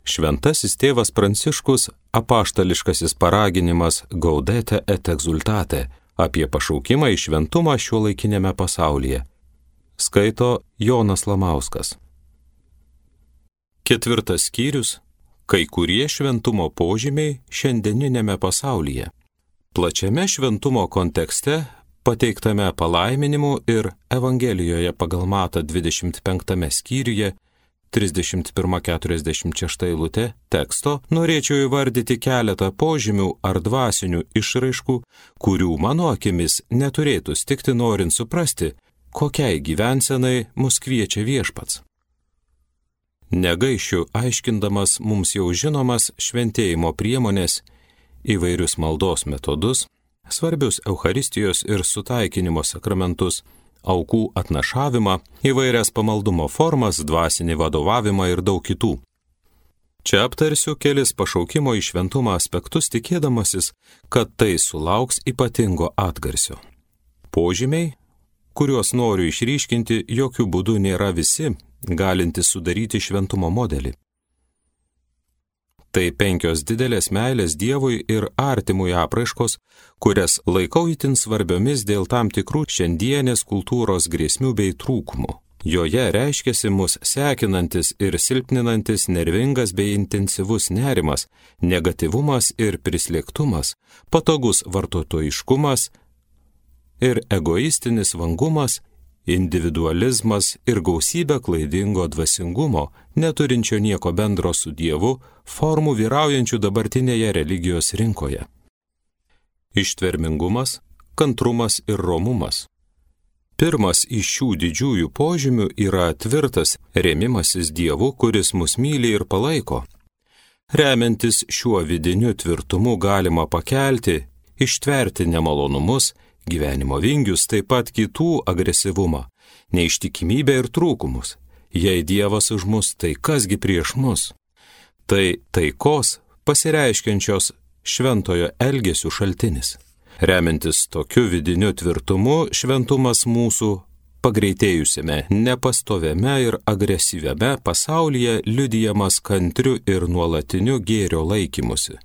Šventasis tėvas Pranciškus apaštališkasis paraginimas Gaudete et exultate apie pašaukimą į šventumą šiuolaikinėme pasaulyje. Skaito Jonas Lamauskas. 4 skyrius. Kai kurie šventumo požymiai šiandieninėme pasaulyje. Plačiame šventumo kontekste, pateiktame palaiminimu ir Evangelijoje pagal Matą 25 skyriuje 31-46 eilutė teksto, norėčiau įvardyti keletą požymių ar dvasinių išraiškų, kurių mano akimis neturėtų stikti norint suprasti, kokiai gyvensenai mus kviečia Viešpats. Negaišiu aiškindamas mums jau žinomas šventėjimo priemonės, įvairius maldos metodus, svarbius Eucharistijos ir sutaikinimo sakramentus, aukų atnašavimą, įvairias pamaldumo formas, dvasinį vadovavimą ir daug kitų. Čia aptarsiu kelis pašaukimo į šventumą aspektus, tikėdamasis, kad tai sulauks ypatingo atgarsio. Požymiai, kuriuos noriu išryškinti, jokių būdų nėra visi, galintys sudaryti šventumo modelį. Tai 5 didelės meilės Dievui ir artimui apraiškos, kurias laikau itin svarbiomis dėl tam tikrų šiandienės kultūros grėsmių bei trūkumų. Joje reiškiasi mus sekinantis ir silpninantis nervingas bei intensyvus nerimas, negatyvumas ir prislėgtumas, patogus vartotojiškumas ir egoistinis vangumas, individualizmas ir gausybė klaidingo dvasingumo, neturinčio nieko bendro su Dievu, formų vyraujančių dabartinėje religijos rinkoje. Ištvermingumas, kantrumas ir romumas. Pirmas iš šių didžiųjų požymių yra tvirtas rėmimasis Dievu, kuris mus myli ir palaiko. Remiantis šiuo vidiniu tvirtumu galima pakelti, ištverti nemalonumus, gyvenimo vingius, taip pat kitų agresyvumą, neištikimybę ir trūkumus. Jei Dievas už mus, tai kasgi prieš mus? Tai taikos pasireiškiančios šventojo elgesio šaltinis. Remiantis tokiu vidiniu tvirtumu, šventumas mūsų pagreitėjusiame, nepastoviame ir agresyviame pasaulyje liudijamas kantriu ir nuolatiniu gėrio laikymusi.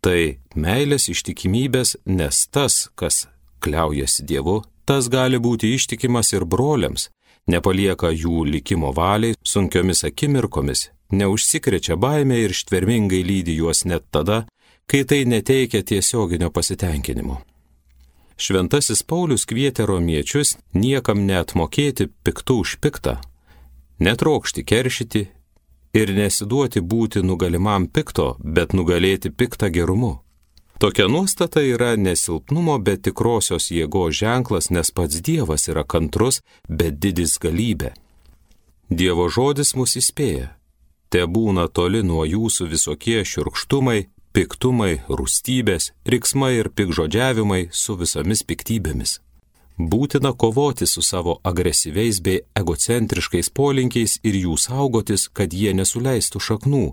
Tai meilės ištikimybės, nes tas, kas kliaujasi Dievu, tas gali būti ištikimas ir broliams, nepalieka jų likimo valiai sunkiomis akimirkomis, neužsikrečia baimė ir ištvermingai lydi juos net tada, kai tai neteikia tiesioginio pasitenkinimo. Šventasis Paulius kvietė romiečius niekam neatmokėti piktų už piktą, netrokšti keršyti ir nesiduoti būti nugalimam pikto, bet nugalėti piktą gerumu. Tokia nuostata yra nesilpnumo, bet tikrosios jėgos ženklas, nes pats Dievas yra kantrus, bet didis galybė. Dievo žodis mus įspėja. Te būna toli nuo jūsų visokie šiurkštumai, piktumai, rūstybės, riksmai ir pikžodžiavimai su visomis piktybėmis. Būtina kovoti su savo agresyviais bei egocentriškais polinkiais ir jų saugotis, kad jie nesuleistų šaknų.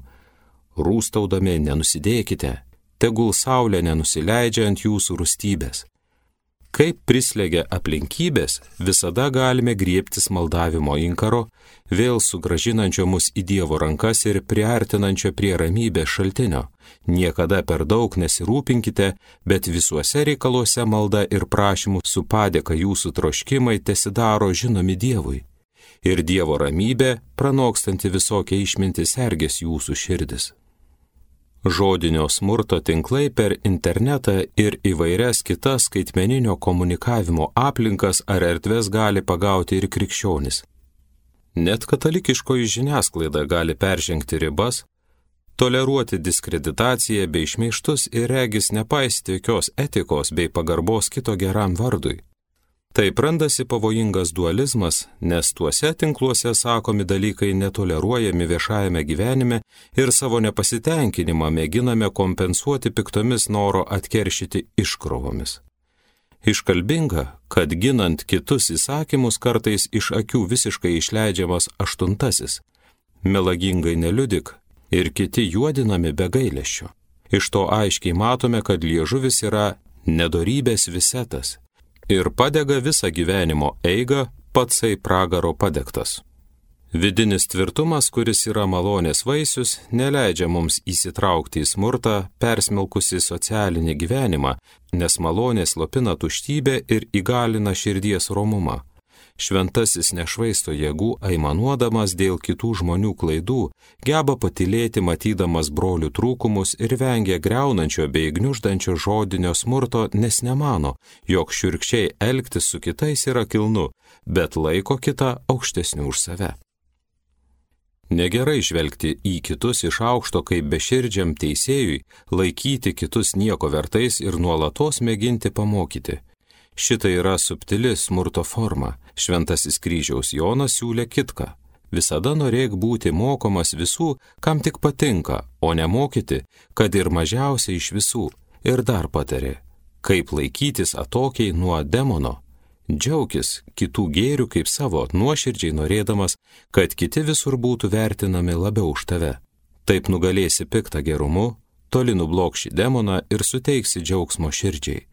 Rūstaudami nenusidėkite, tegul saulė nenusileidžia ant jūsų rūstybės. Kaip prislėgia aplinkybės, visada galime griebtis maldavimo inkaro, vėl sugrąžinančio mus į Dievo rankas ir priartinančio prie ramybės šaltinio. Niekada per daug nesirūpinkite, bet visuose reikaluose malda ir prašymų su padėka jūsų troškimai tesidaro žinomi Dievui. Ir Dievo ramybė, pranokstanti visokią išmintį, sergės jūsų širdis. Žodinio smurto tinklai per internetą ir įvairias kitas skaitmeninio komunikavimo aplinkas ar erdves gali pagauti ir krikščionis. Net katalikiškoji žiniasklaida gali peržengti ribas, toleruoti diskreditaciją bei šmeižtus ir regis nepaisyti jokios etikos bei pagarbos kito geram vardui. Taip randasi pavojingas dualizmas, nes tuose tinkluose sakomi dalykai netoleruojami viešajame gyvenime ir savo nepasitenkinimą mėginame kompensuoti piktomis noro atkeršyti iškrovomis. Iškalbinga, kad ginant kitus įsakymus kartais iš akių visiškai išleidžiamas 8. Melagingai neliudik ir kiti juodinami be gailesčio. Iš to aiškiai matome, kad liežuvis yra nedorybės visetas ir padega visą gyvenimo eigą patsai pragaro padegtas. Vidinis tvirtumas, kuris yra malonės vaisius, neleidžia mums įsitraukti į smurtą, persmelkusi socialinį gyvenimą, nes malonė slopina tuštybę ir įgalina širdies romumą. Šventasis nešvaisto jėgų aimanuodamas dėl kitų žmonių klaidų, geba patylėti matydamas brolių trūkumus ir vengia griaunančio bei gniuždančio žodinio smurto, nes nemano, jog šiurkščiai elgtis su kitais yra kilnu, bet laiko kitą aukštesniu už save. Negerai žvelgti į kitus iš aukšto kaip beširdžiam teisėjui, laikyti kitus nieko vertais ir nuolatos mėginti pamokyti. Šita yra subtili smurto forma. Šventasis kryžiaus Jonas siūlė kitką. Visada norėk būti mokomas visų, kam tik patinka, o nemokyti, kad ir mažiausiai iš visų. Ir dar patarė, kaip laikytis atokiai nuo demono. Džiaukis kitų gėrių kaip savo, nuoširdžiai norėdamas, kad kiti visur būtų vertinami labiau už tave. Taip nugalėsi piktą gerumu, toli nublokši demoną ir suteiksi džiaugsmo širdžiai.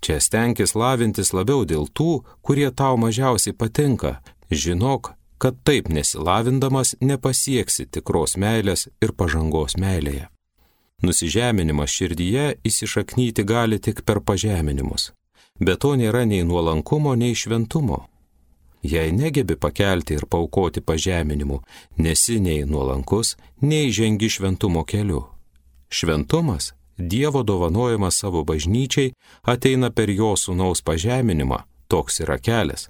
Čia stenkis lavintis labiau dėl tų, kurie tau mažiausiai patinka. Žinok, kad taip nesilavindamas nepasieksi tikros meilės ir pažangos meilėje. Nusižeminimas širdyje įsišaknyti gali tik per pažeminimus. Be to nėra nei nuolankumo, nei šventumo. Jei negebi pakelti ir paaukoti pažeminimų, nesi nei nuolankus, nei žengi šventumo keliu. Šventumas, Dievo dovanojimas savo bažnyčiai, ateina per jo sūnaus pažeminimą, toks yra kelias.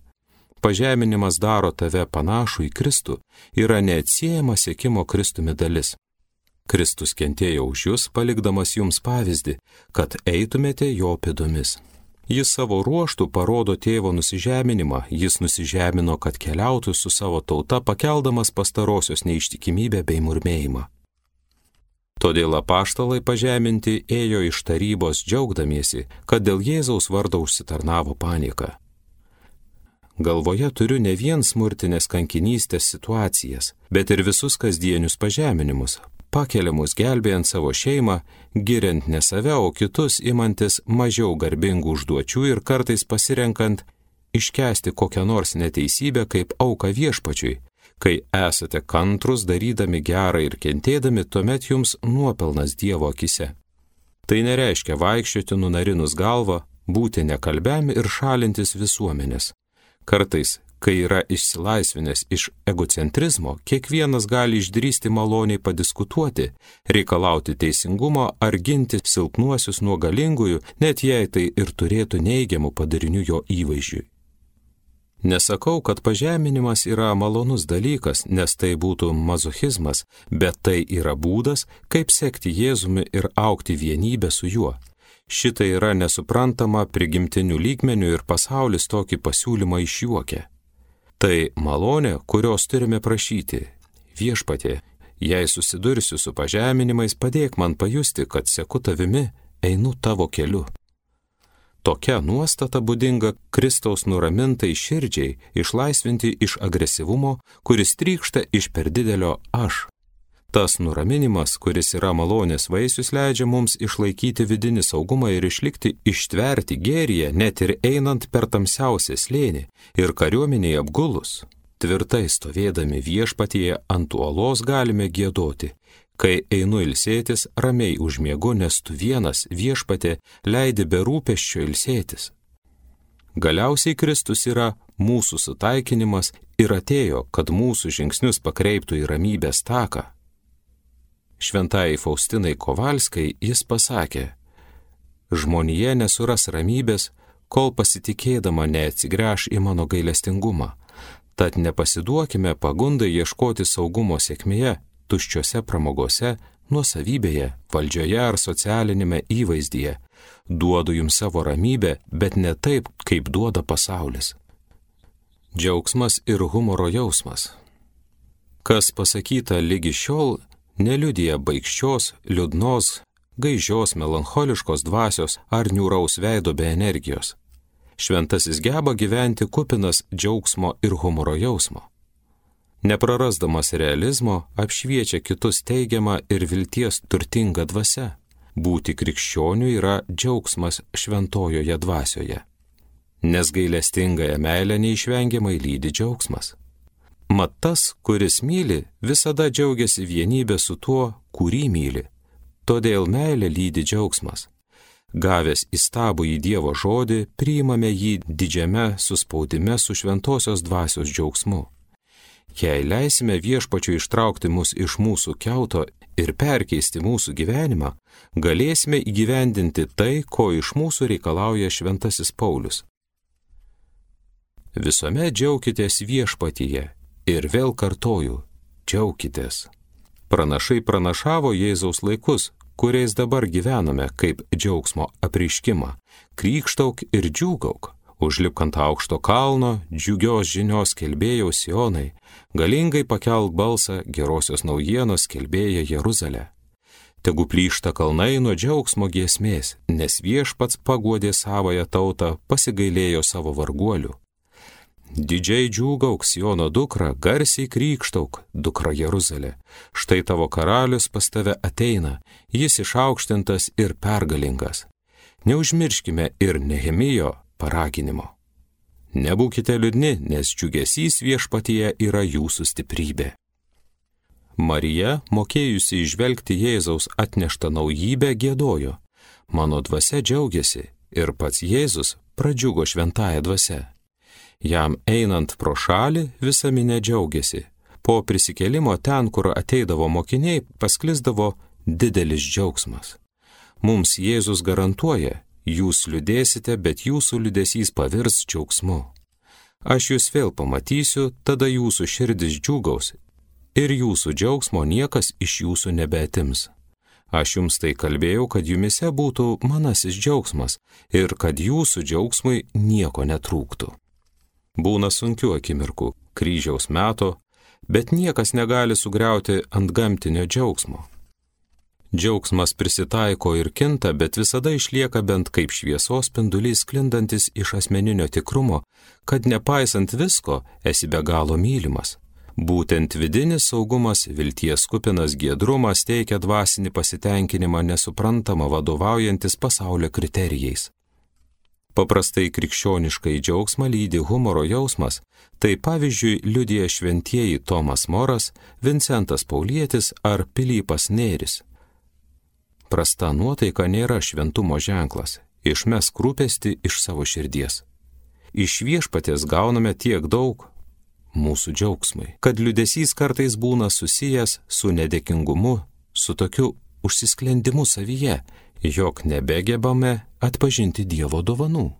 Pažeminimas daro tave panašų į Kristų, yra neatsiejama siekimo Kristumi dalis. Kristus kentėjo už jūs, palikdamas jums pavyzdį, kad eitumėte jo pėdomis. Jis savo ruoštų parodo tėvo nusižeminimą, jis nusižemino, kad keliautų su savo tauta, pakeldamas pastarosios neištikimybę bei murmėjimą. Todėl apaštalai pažeminti ėjo iš tarybos džiaugdamiesi, kad dėl Jėzaus vardo užsitarnavo panieką. Galvoje turiu ne vien smurtinės kankinystės situacijas, bet ir visus kasdienius pažeminimus, pakeliamus gelbėjant savo šeimą, giriant ne save, o kitus imantis mažiau garbingų užduočių ir kartais pasirenkant iškęsti kokią nors neteisybę kaip auką viešpačiui. Kai esate kantrus, darydami gerą ir kentėdami, tuomet jums nuopelnas Dievo akise. Tai nereiškia vaikščioti nunarinus galvą, būti nekalbiam ir šalintis visuomenės. Kartais, kai yra išsilaisvinęs iš egocentrizmo, kiekvienas gali išdrįsti maloniai padiskutuoti, reikalauti teisingumo ar ginti silpnuosius nuo galingųjų, net jei tai ir turėtų neigiamų padarinių jo įvaizdžiui. Nesakau, kad pažeminimas yra malonus dalykas, nes tai būtų mazochizmas, bet tai yra būdas, kaip sekti Jėzumi ir augti vienybę su juo. Šita yra nesuprantama prigimtinių lygmenių ir pasaulis tokį pasiūlymą išjuokia. Tai malonė, kurios turime prašyti. Viešpatie, jei susidursiu su pažeminimais, padėk man pajusti, kad seku tavimi, einu tavo keliu. Tokia nuostata būdinga Kristaus nuramintai širdžiai, išlaisvinti iš agresyvumo, kuris trykšta iš per didelio aš. Tas nuraminimas, kuris yra malonės vaisius, leidžia mums išlaikyti vidinį saugumą ir išlikti ištverti gėryje, net ir einant per tamsiausią slėnį ir kariuomenėje apgulus. Tvirtai stovėdami viešpatyje ant uolos galime giedoti. Kai einu ilsėtis, ramiai užmiegu, nes tu vienas, viešpatie, leidi be rūpesčio ilsėtis. Galiausiai Kristus yra mūsų sutaikinimas ir atėjo, kad mūsų žingsnius pakreiptų į ramybės taką. Šventajai Faustinai Kovalskai jis pasakė, žmonija nesuras ramybės, kol pasitikėdama neatsigręš į mano gailestingumą. Tad nepasiduokime pagundai ieškoti saugumo sėkmėje, tuščiose pramogose, nuosavybėje, valdžioje ar socialinėme įvaizdyje. Duodu jums savo ramybę, bet ne taip, kaip duoda pasaulis. Džiaugsmas ir humoro jausmas. Kas pasakyta lygi šiol, neliudija baikščios, liūdnos, gaižios, melancholiškos dvasios ar niūraus veido be energijos. Šventasis geba gyventi kupinas džiaugsmo ir humoro jausmo. Neprarasdamas realizmo, apšviečia kitus teigiamą ir vilties turtingą dvasią. Būti krikščioniu yra džiaugsmas šventojoje dvasioje. Nes gailestingąją meilę neišvengiamai lydi džiaugsmas. Mat tas, kuris myli, visada džiaugiasi vienybė su tuo, kurį myli. Todėl meilė lydi džiaugsmas. Gavęs įstabų į Dievo žodį, priimame jį didžiame suspaudime su šventosios dvasios džiaugsmu. Jei leisime Viešpačiui ištraukti mus iš mūsų kiauto ir perkeisti mūsų gyvenimą, galėsime įgyvendinti tai, ko iš mūsų reikalauja šventasis Paulius. Visuomet džiaukitės Viešpatyje ir vėl kartoju, džiaukitės. Pranašai pranašavo Jėzaus laikus, kuriais dabar gyvename, kaip džiaugsmo apreiškimą. Krykštauk ir džiūgauk, užlipk ant aukšto kalno, džiugios žinios skelbėjau Sionai, galingai pakelk balsą gerosios naujienos skelbėja Jeruzalė. Tegu plyšta kalnai nuo džiaugsmo giesmės, nes Viešpats paguodė savąją tautą, pasigailėjo savo varguolių. Didžiai džiūgauk Siono dukra, garsiai krykštauk, dukra Jeruzalė. Štai tavo karalius pas tave ateina, jis išaukštintas ir pergalingas. Neužmirškime ir Nehemijo paraginimo. Nebūkite liūdni, nes džiugesys Viešpatyje yra jūsų stiprybė. Marija, mokėjusi įžvelgti Jėzaus atneštą naujybę, giedojo. Mano dvasia džiaugiasi ir pats Jėzus pradžiugo šventąja dvasia. Jam einant pro šalį visa minia džiaugiasi. Po prisikėlimo ten, kur ateidavo mokiniai, pasklisdavo didelis džiaugsmas. Mums Jėzus garantuoja, jūs liūdėsite, bet jūsų liūdesys pavirs džiaugsmu. Aš jūs vėl pamatysiu, tada jūsų širdis džiūgaus ir jūsų džiaugsmo niekas iš jūsų nebeatims. Aš jums tai kalbėjau, kad jumise būtų manasis džiaugsmas ir kad jūsų džiaugsmui nieko netrūktų. Būna sunkių akimirkų, kryžiaus meto, bet niekas negali sugriauti antgamtinio džiaugsmo. Džiaugsmas prisitaiko ir kinta, bet visada išlieka bent kaip šviesos spindulys sklindantis iš asmeninio tikrumo, kad nepaisant visko esi be galo mylimas. Būtent vidinis saugumas, vilties kupinas giedrumas teikia dvasinį pasitenkinimą nesuprantamą vadovaujantis pasaulio kriterijais. Paprastai krikščioniškai džiaugsmą lydi humoro jausmas, tai pavyzdžiui liudija šventieji Tomas Moras, Vincentas Paulietis ar Pilypas Nėris. Prasta nuotaika nėra šventumo ženklas, išmesk rūpestį iš savo širdies. Iš Viešpaties gauname tiek daug mūsų džiaugsmui, kad liūdesys kartais būna susijęs su nedėkingumu, su tokiu užsisklendimu savyje, jog nebegebame atpažinti Dievo dovanų.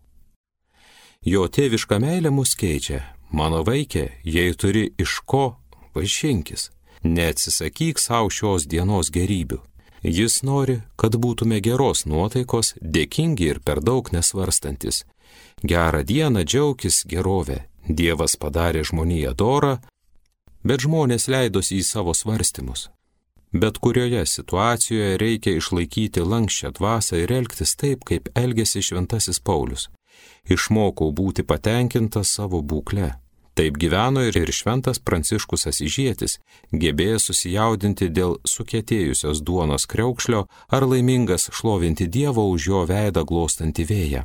Jo tėviška meilė mus keičia. Mano vaikė, jei turi iš ko, vaišinkis. Neatsisakyk savo šios dienos gerybių. Jis nori, kad būtume geros nuotaikos, dėkingi ir per daug nesvarstantis. Gerą dieną džiaukis gerovę. Dievas padarė žmoniją dorą, bet žmonės leidosi į savo svarstymus. Bet kurioje situacijoje reikia išlaikyti lanksčią dvasią ir elgtis taip, kaip elgėsi šventasis Paulius. Išmokau būti patenkintas savo būkle. Taip gyveno ir šventas Pranciškus Asyžietis, gebėjęs susijaudinti dėl sukietėjusios duonos kriaukšlio ar laimingas šlovinti Dievo už jo veidą glostantį vėją.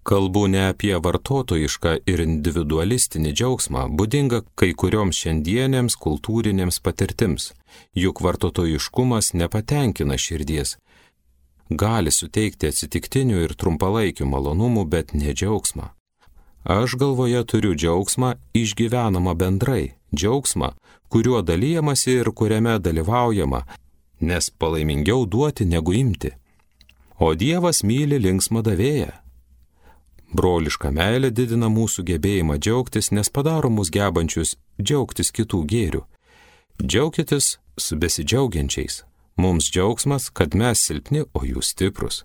Kalbu ne apie vartotojišką ir individualistinį džiaugsmą, būdingą kai kurioms šiandienėms kultūrinėms patirtims, juk vartotojiškumas nepatenkina širdies. Gali suteikti atsitiktinių ir trumpalaikių malonumų, bet ne džiaugsmą. Aš galvoje turiu džiaugsmą išgyvenamą bendrai, džiaugsmą, kuriuo dalyjamasi ir kuriame dalyvaujama, nes palaimingiau duoti negu imti. O Dievas myli linksmą davėją. Broliška meilė didina mūsų gebėjimą džiaugtis, nes padaro mus gebančius džiaugtis kitų gėrių. Džiaukitės su besidžiaugiančiais. Mums džiaugsmas, kad mes silpni, o jūs stiprus.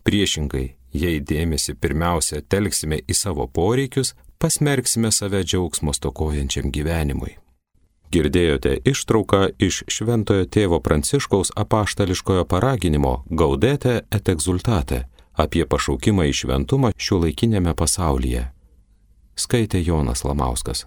Priešingai, jei dėmesį pirmiausia telksime į savo poreikius, pasmerksime save džiaugsmo stokojančiam gyvenimui. Girdėjote ištrauką iš Šventojo tėvo Pranciškaus apaštališkojo paraginimo Gaudete et exultate apie pašaukimą į šventumą šiuolaikiniame pasaulyje. Skaitė Jonas Lamauskas.